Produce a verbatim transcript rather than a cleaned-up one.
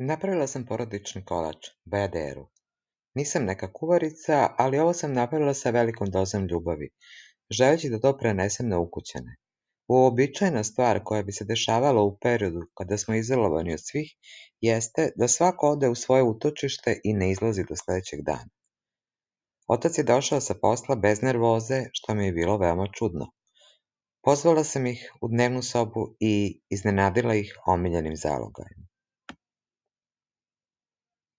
Napravila sam porodični kolač, bajaderu. Nisam neka kuvarica, ali ovo sam napravila sa velikom dozom ljubavi, želeći da to prenesem na ukućane. Uobičajena stvar koja bi se dešavala u periodu kada smo izolovani od svih jeste da svako ode u svoje utočište i ne izlazi do sledećeg dana. Otac je došao sa posla bez nervoze, što mi je bilo veoma čudno. Pozvala sam ih u dnevnu sobu i iznenadila ih omiljenim zalogajem.